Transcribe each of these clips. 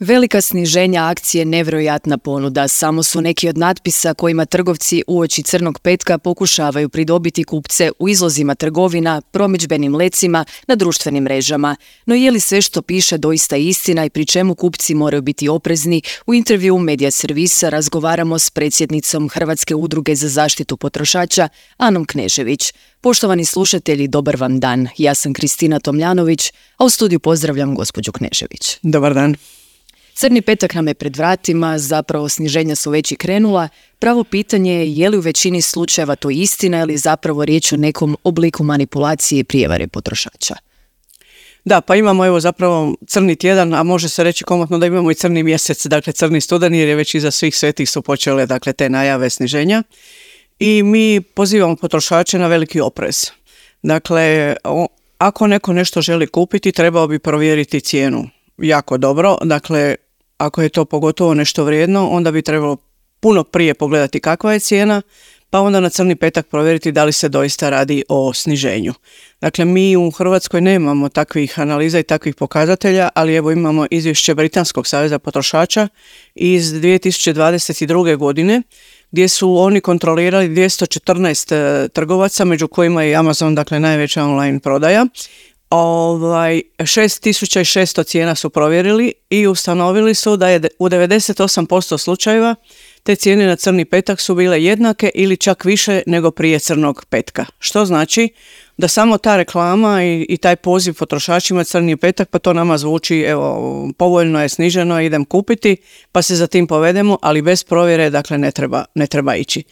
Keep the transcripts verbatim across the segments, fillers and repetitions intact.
Velika sniženja akcije, nevjerojatna ponuda, samo su neki od natpisa kojima trgovci uoči crnog petka pokušavaju pridobiti kupce u izlozima trgovina, promidžbenim lecima, na društvenim mrežama. No je li sve što piše doista istina i pri čemu kupci moraju biti oprezni? U intervju Medija servisa razgovaramo s predsjednicom Hrvatske udruge za zaštitu potrošača, Anom Knežević. Poštovani slušatelji, dobar vam dan. Ja sam Kristina Tomljanović, a u studiju pozdravljam gospođu Knežević. Dobar dan. Crni petak nam je pred vratima, zapravo sniženja su već i krenula. Pravo pitanje je je li u većini slučajeva to istina ili zapravo riječ o nekom obliku manipulacije i prijevare potrošača? Da, pa imamo evo zapravo crni tjedan, a može se reći komotno da imamo i crni mjesec, dakle crni studeni, jer je već iza svih svetih su počele dakle te najave sniženja. I mi pozivamo potrošače na veliki oprez. Dakle, ako neko nešto želi kupiti, trebao bi provjeriti cijenu jako dobro. Dakle, ako je to pogotovo nešto vrijedno, onda bi trebalo puno prije pogledati kakva je cijena, pa onda na crni petak provjeriti da li se doista radi o sniženju. Dakle, mi u Hrvatskoj nemamo takvih analiza i takvih pokazatelja, ali evo imamo izvješće Britanskog saveza potrošača iz dvije tisuće dvadeset druge. godine, gdje su oni kontrolirali dvjesto četrnaest trgovaca, među kojima je Amazon, dakle najveća online prodaja. Ovaj, šest tisuća šesto cijena su provjerili i ustanovili su da je u devedeset osam posto slučajeva te cijene na crni petak su bile jednake ili čak više nego prije crnog petka. Što znači da samo ta reklama i, i taj poziv potrošačima crni petak, pa to nama zvuči, evo, povoljno je, sniženo, idem kupiti, pa se za tim povedemo, ali bez provjere, dakle, ne treba, ne treba ići.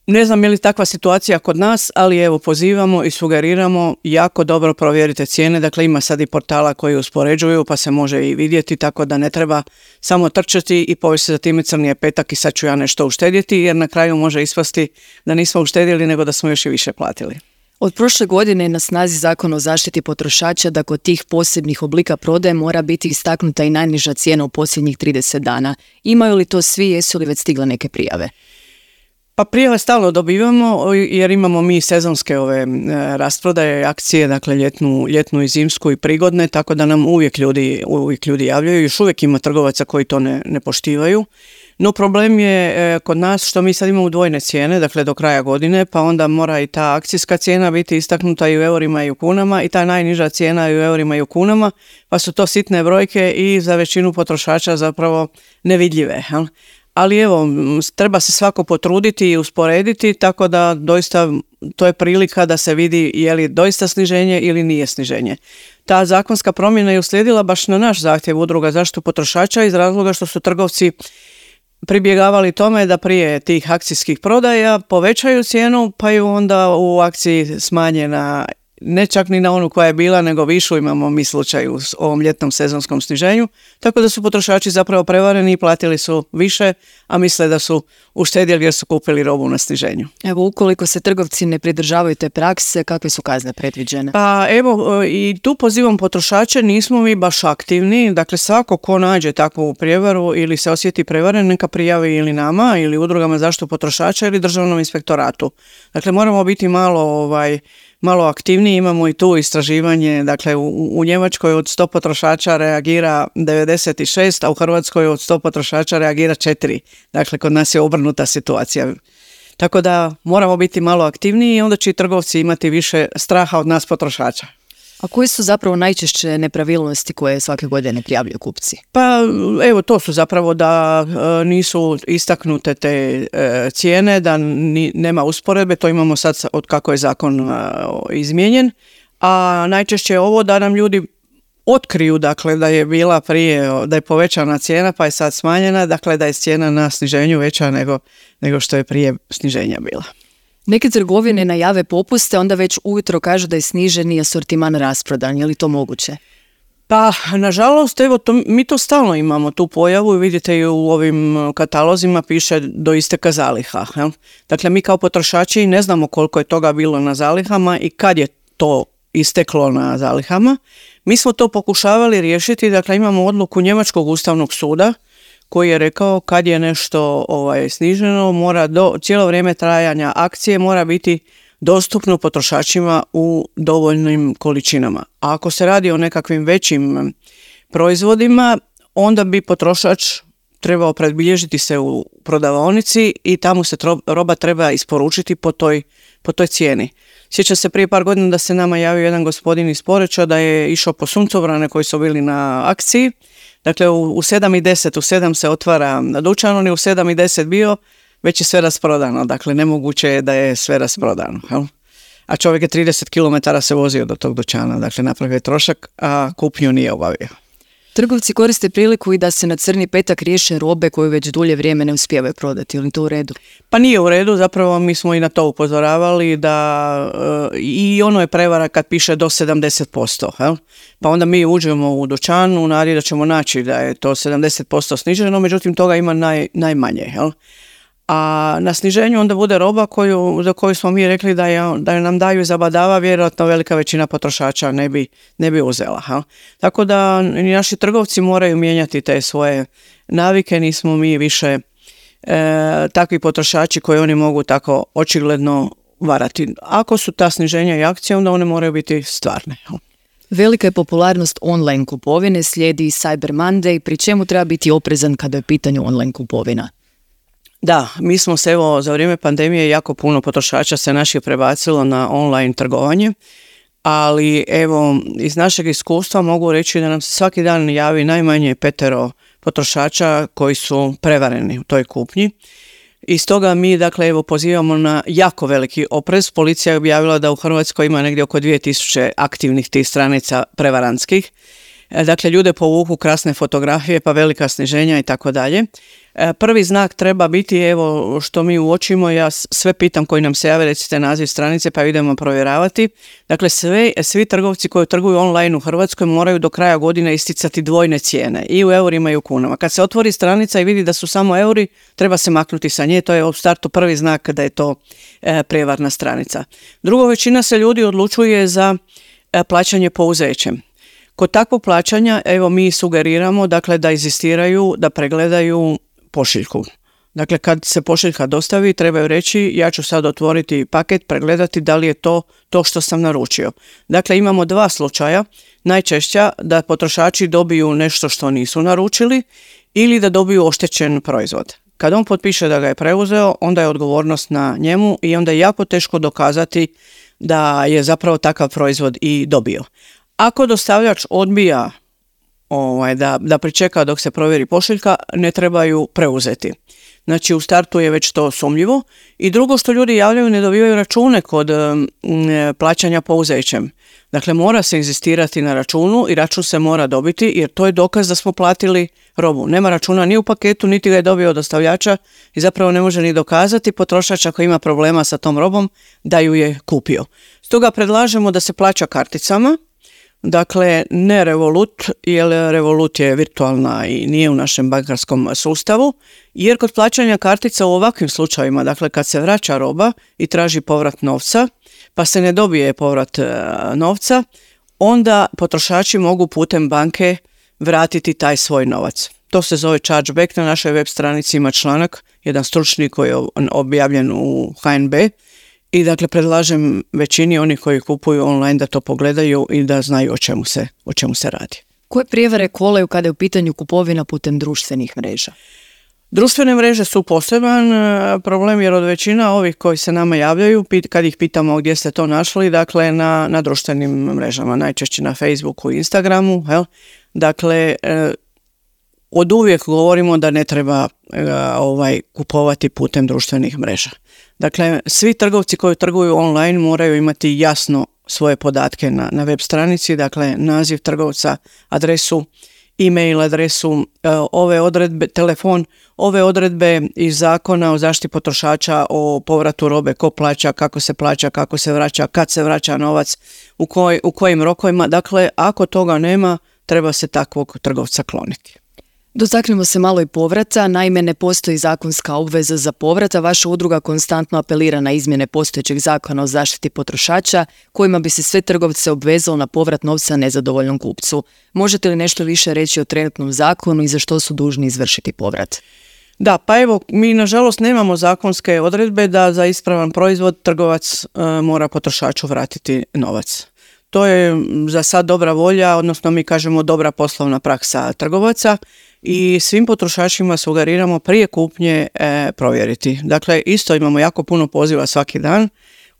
Ne znam je li takva situacija kod nas, ali evo pozivamo i sugeriramo jako dobro provjerite cijene. Dakle, ima sad i portala koji uspoređuju pa se može i vidjeti, tako da ne treba samo trčati i povesti za time crni je petak i sad ću ja nešto uštedjeti, jer na kraju može ispasti da nismo uštedjeli nego da smo još i više platili. Od prošle godine je na snazi Zakon o zaštiti potrošača da kod tih posebnih oblika prodaje mora biti istaknuta i najniža cijena u posljednjih trideset dana. Imaju li to svi, jesu li već stigle neke prijave? Pa prijave stalno dobivamo jer imamo mi sezonske ove e, rasprodaje, akcije, dakle ljetnu, ljetnu i zimsku i prigodne, tako da nam uvijek ljudi, uvijek ljudi javljaju. Još uvijek ima trgovaca koji to ne, ne poštivaju. No problem je e, kod nas što mi sad imamo dvojne cijene, dakle do kraja godine, pa onda mora i ta akcijska cijena biti istaknuta i u eurima i u kunama i ta najniža cijena i u eurima i u kunama, pa su to sitne brojke i za većinu potrošača zapravo nevidljive, jel? Ali evo, treba se svako potruditi i usporediti, tako da doista to je prilika da se vidi je li doista sniženje ili nije sniženje. Ta zakonska promjena je uslijedila baš na naš zahtjev Udruga zaštitu potrošača iz razloga što su trgovci pribjegavali tome da prije tih akcijskih prodaja povećaju cijenu, pa ju onda u akciji smanje na, ne čak ni na onu koja je bila, nego višu. Imamo mi slučaj u ovom ljetnom sezonskom sniženju, tako da su potrošači zapravo prevareni i platili su više, a misle da su uštedjeli jer su kupili robu na sniženju. Evo, ukoliko se trgovci ne pridržavaju te prakse, kakve su kazne predviđene? Pa evo, i tu pozivam potrošače, nismo mi baš aktivni, dakle svako ko nađe takvu prijevaru ili se osjeti prevaren, neka prijavi ili nama, ili udrugama zaštitu potrošača ili državnom inspektoratu. Dakle, moramo biti malo ovaj malo aktivniji, imamo i tu istraživanje, dakle u, u Njemačkoj od sto potrošača reagira devedeset šest, a u Hrvatskoj od sto potrošača reagira četiri. Dakle, kod nas je obrnuta situacija. Tako da moramo biti malo aktivniji i onda će i trgovci imati više straha od nas potrošača. A koje su zapravo najčešće nepravilnosti koje svake godine prijavljuju kupci? Pa evo, to su zapravo da e, nisu istaknute te e, cijene, da ni, nema usporedbe, to imamo sad od kako je zakon e, izmijenjen, a najčešće je ovo da nam ljudi otkriju, dakle, da je bila prije, da je povećana cijena pa je sad smanjena, dakle da je cijena na sniženju veća nego, nego što je prije sniženja bila. Neke trgovine najave popuste, onda već ujutro kažu da je sniženi asortiman rasprodan. Je li to moguće? Pa, nažalost, evo, to, mi to stalno imamo, tu pojavu, vidite i u ovim katalozima piše do isteka zaliha. Jel? Dakle, mi kao potrošači ne znamo koliko je toga bilo na zalihama i kad je to isteklo na zalihama. Mi smo to pokušavali riješiti, dakle, imamo odluku Njemačkog ustavnog suda koji je rekao kad je nešto ovaj, sniženo, mora do cijelo vrijeme trajanja akcije mora biti dostupno potrošačima u dovoljnim količinama. A ako se radi o nekakvim većim proizvodima, onda bi potrošač trebao predbilježiti se u prodavaonici i tamo se tro, roba treba isporučiti po toj, po toj cijeni. Sjećam se prije par godina da se nama javio jedan gospodin iz Poreča da je išao po suncobrane koji su bili na akciji. Dakle, u, u sedam i deset, u sedam se otvara dućan, on je u sedam i deset bio, već je sve rasprodano. Dakle, nemoguće je da je sve rasprodano. Jel? A čovjek je trideset kilometara se vozio do tog dućana, dakle napravio je trošak, a kupnju nije obavio. Trgovci koriste priliku i da se na crni petak riješe robe koju već dulje vrijeme ne uspijevaju prodati, ili to u redu? Pa nije u redu, zapravo mi smo i na to upozoravali da e, i ono je prevara kad piše do sedamdeset posto. Jel? Pa onda mi uđemo u dućan u nadi da ćemo naći da je to sedamdeset posto sniženo, međutim toga ima naj, najmanje. Jel? A na sniženju onda bude roba koju, za koju smo mi rekli da, je, da nam daju zabadava, vjerojatno velika većina potrošača ne bi, ne bi uzela. Ha? Tako da i naši trgovci moraju mijenjati te svoje navike, nismo mi više e, takvi potrošači koji oni mogu tako očigledno varati. Ako su ta sniženja i akcije, onda one moraju biti stvarne. Ha? Velika je popularnost online kupovine, slijedi Cyber Monday, pri čemu treba biti oprezan kada je u pitanju online kupovina. Da, mi smo se evo za vrijeme pandemije jako puno potrošača se naših prebacilo na online trgovanje, ali evo iz našeg iskustva mogu reći da nam se svaki dan javi najmanje petero potrošača koji su prevareni u toj kupnji. I stoga mi dakle evo pozivamo na jako veliki oprez. Policija je objavila da u Hrvatskoj ima negdje oko dvije tisuće aktivnih tih stranica prevarantskih. Dakle, ljude povuku krasne fotografije, pa velika sniženja i tako dalje. Prvi znak treba biti, evo što mi uočimo, ja sve pitam koji nam se jave, recite naziv stranice pa idemo provjeravati. Dakle, sve, svi trgovci koji trguju online u Hrvatskoj moraju do kraja godine isticati dvojne cijene, i u eurima i u kunama. Kad se otvori stranica i vidi da su samo euri, treba se maknuti sa nje, to je u startu prvi znak da je to e, prijevarna stranica. Drugo, većina se ljudi odlučuje za e, plaćanje pouzećem. Kod takvog plaćanja, evo mi sugeriramo dakle, da inzistiraju, da pregledaju pošiljku. Dakle, kad se pošiljka dostavi, trebaju reći ja ću sad otvoriti paket, pregledati da li je to to što sam naručio. Dakle, imamo dva slučaja. Najčešća da potrošači dobiju nešto što nisu naručili ili da dobiju oštećen proizvod. Kad on potpiše da ga je preuzeo, onda je odgovornost na njemu i onda je jako teško dokazati da je zapravo takav proizvod i dobio. Ako dostavljač odbija ovaj, da, da pričeka dok se provjeri pošiljka, ne trebaju preuzeti. Znači u startu je već to sumnjivo. I drugo što ljudi javljaju, ne dobivaju račune kod m, plaćanja pouzećem. Dakle, mora se inzistirati na računu i račun se mora dobiti jer to je dokaz da smo platili robu. Nema računa ni u paketu, niti ga je dobio od dostavljača i zapravo ne može ni dokazati potrošač ako ima problema sa tom robom da ju je kupio. Stoga predlažemo da se plaća karticama. Dakle, ne Revolut, jer Revolut je virtualna i nije u našem bankarskom sustavu, jer kod plaćanja kartica u ovakvim slučajevima, dakle kad se vraća roba i traži povrat novca, pa se ne dobije povrat e, novca, onda potrošači mogu putem banke vratiti taj svoj novac. To se zove chargeback, na našoj web stranici ima članak, jedan stručni koji je objavljen u H N B. I dakle predlažem većini onih koji kupuju online da to pogledaju i da znaju o čemu se, o čemu se radi. Koje prijevare kolaju kada je u pitanju kupovina putem društvenih mreža? Društvene mreže su poseban problem jer od većina ovih koji se nama javljaju, kad ih pitamo gdje ste to našli, dakle na, na društvenim mrežama, najčešće na Facebooku i Instagramu. Jel? Dakle, od uvijek govorimo da ne treba ovaj, kupovati putem društvenih mreža. Dakle, svi trgovci koji trguju online moraju imati jasno svoje podatke na, na web stranici, dakle naziv trgovca, adresu, e-mail adresu, ove odredbe, telefon, ove odredbe iz Zakona o zaštiti potrošača o povratu robe, ko plaća, kako se plaća, kako se vraća, kad se vraća novac, u, koj, u kojim rokovima. Dakle, ako toga nema, treba se takvog trgovca kloniti. Dotaknemo se malo i povrata, naime ne postoji zakonska obveza za povrat, a vaša udruga konstantno apelira na izmjene postojećeg zakona o zaštiti potrošača, kojima bi se sve trgovce obvezalo na povrat novca nezadovoljnom kupcu. Možete li nešto više reći o trenutnom zakonu i za što su dužni izvršiti povrat? Da, pa evo, mi nažalost nemamo zakonske odredbe da za ispravan proizvod trgovac e, mora potrošaču vratiti novac. to je za sad dobra volja, odnosno mi kažemo dobra poslovna praksa trgovaca i svim potrošačima sugeriramo prije kupnje e, provjeriti. Dakle, isto imamo jako puno poziva svaki dan.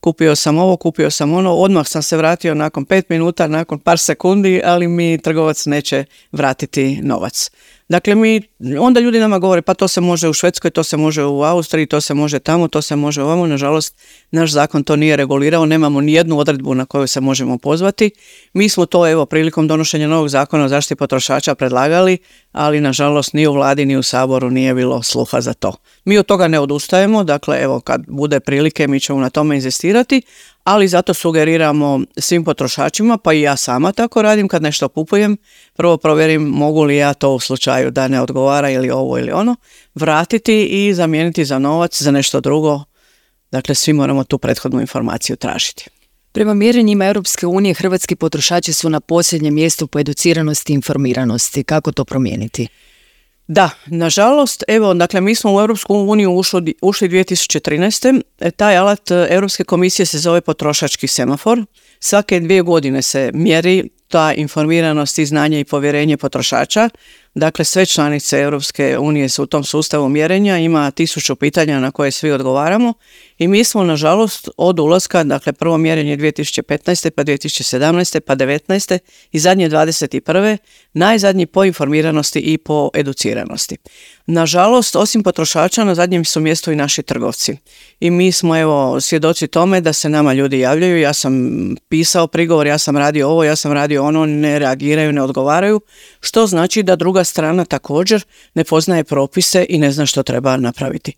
Kupio sam ovo, kupio sam ono, odmah sam se vratio nakon pet minuta, nakon par sekundi, ali mi trgovac neće vratiti novac. Dakle, mi, onda ljudi nama govore, pa to se može u Švedskoj, to se može u Austriji, to se može tamo, to se može ovamo. Nažalost, naš zakon to nije regulirao, nemamo ni jednu odredbu na koju se možemo pozvati. Mi smo to, evo, prilikom donošenja novog zakona o zaštiti potrošača predlagali, ali nažalost ni u vladi ni u Saboru nije bilo sluha za to. Mi od toga ne odustajemo, dakle, evo, kad bude prilike mi ćemo na tome inzistirati, ali zato sugeriramo svim potrošačima, pa i ja sama tako radim kad nešto kupujem, prvo provjerim mogu li ja to u slučaju da ne odgovara ili ovo ili ono, vratiti i zamijeniti za novac, za nešto drugo. Dakle, svi moramo tu prethodnu informaciju tražiti. Prema mjerenjima Europske unije, hrvatski potrošači su na posljednjem mjestu po educiranosti i informiranosti. Kako to promijeniti? Da, nažalost, evo, dakle, mi smo u Europsku uniju ušli, ušli dvije tisuće trinaeste. Taj alat Europske komisije se zove potrošački semafor. Svake dvije godine se mjeri ta informiranost i znanje i povjerenje potrošača. Dakle, sve članice Europske unije su u tom sustavu mjerenja, ima tisuću pitanja na koje svi odgovaramo i mi smo, nažalost, od ulaska, dakle, prvo mjerenje dvije tisuće petnaeste, pa dvije tisuće sedamnaeste, pa devetnaeste i zadnje dvadeset prve najzadnji po informiranosti i po educiranosti. Nažalost, osim potrošača, na zadnjem su mjestu i naši trgovci. I mi smo, evo, svjedoci tome da se nama ljudi javljaju, ja sam pisao prigovor, ja sam radio ovo, ja sam radio ono, ne reagiraju, ne odgovaraju, što znači da druga strana također ne poznaje propise i ne zna što treba napraviti.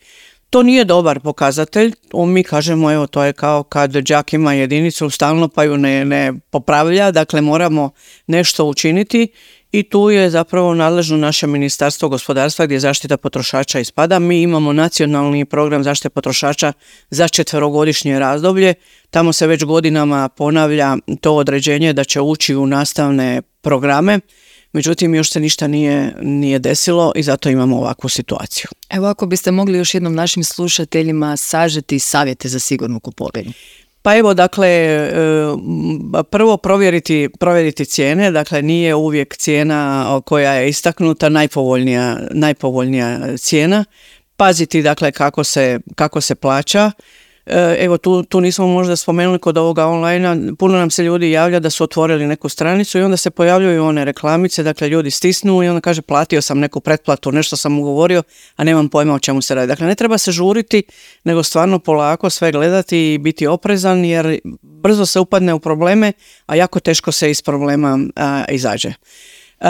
To nije dobar pokazatelj, mi kažemo, evo, to je kao kad đak ima jedinicu stalno pa ju ne, ne popravlja, dakle moramo nešto učiniti i tu je zapravo nadležno naše Ministarstvo gospodarstva gdje zaštita potrošača ispada. Mi imamo nacionalni program zaštite potrošača za četverogodišnje razdoblje, tamo se već godinama ponavlja to određenje da će ući u nastavne programe. Međutim, još se ništa nije, nije desilo i zato imamo ovakvu situaciju. Evo, ako biste mogli još jednom našim slušateljima sažeti savjete za sigurnu kupovinu. Pa evo, dakle, prvo provjeriti, provjeriti cijene, dakle nije uvijek cijena koja je istaknuta najpovoljnija, najpovoljnija cijena. Paziti, dakle, kako se, kako se plaća. Evo, tu, tu nismo možda spomenuli kod ovoga online, puno nam se ljudi javlja da su otvorili neku stranicu i onda se pojavljuju one reklamice, dakle ljudi stisnu i onda kaže platio sam neku pretplatu, nešto sam ugovorio, a nemam pojma o čemu se radi. Dakle, ne treba se žuriti, nego stvarno polako sve gledati i biti oprezan, jer brzo se upadne u probleme, a jako teško se iz problema a, izađe. Uh,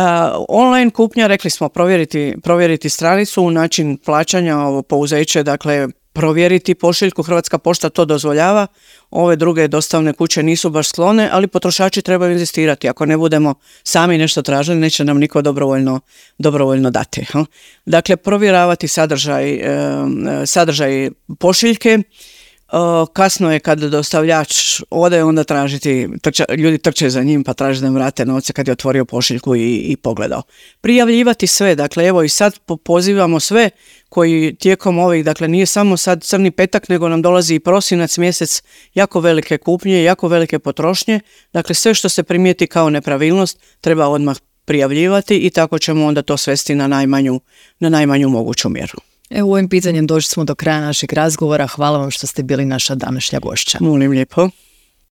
online kupnja, rekli smo, provjeriti, provjeriti stranicu, način plaćanja, ovo pouzeće, dakle provjeriti pošiljku, Hrvatska pošta to dozvoljava, ove druge dostavne kuće nisu baš sklone, ali potrošači trebaju inzistirati. Ako ne budemo sami nešto tražili, neće nam niko dobrovoljno, dobrovoljno dati. Dakle, provjeravati sadržaj, sadržaj pošiljke. Kasno je kad dostavljač ode, onda tražiti, trča, ljudi trče za njim pa traže da im vrate novce kad je otvorio pošiljku i, i pogledao. Prijavljivati sve, dakle evo i sad pozivamo sve koji tijekom ovih, dakle nije samo sad crni petak, nego nam dolazi i prosinac, mjesec, jako velike kupnje, jako velike potrošnje, dakle sve što se primijeti kao nepravilnost treba odmah prijavljivati i tako ćemo onda to svesti na najmanju, na najmanju moguću mjeru. Evo, ovim pitanjem došli smo do kraja našeg razgovora. Hvala vam što ste bili naša današnja gošća. Molim lijepo.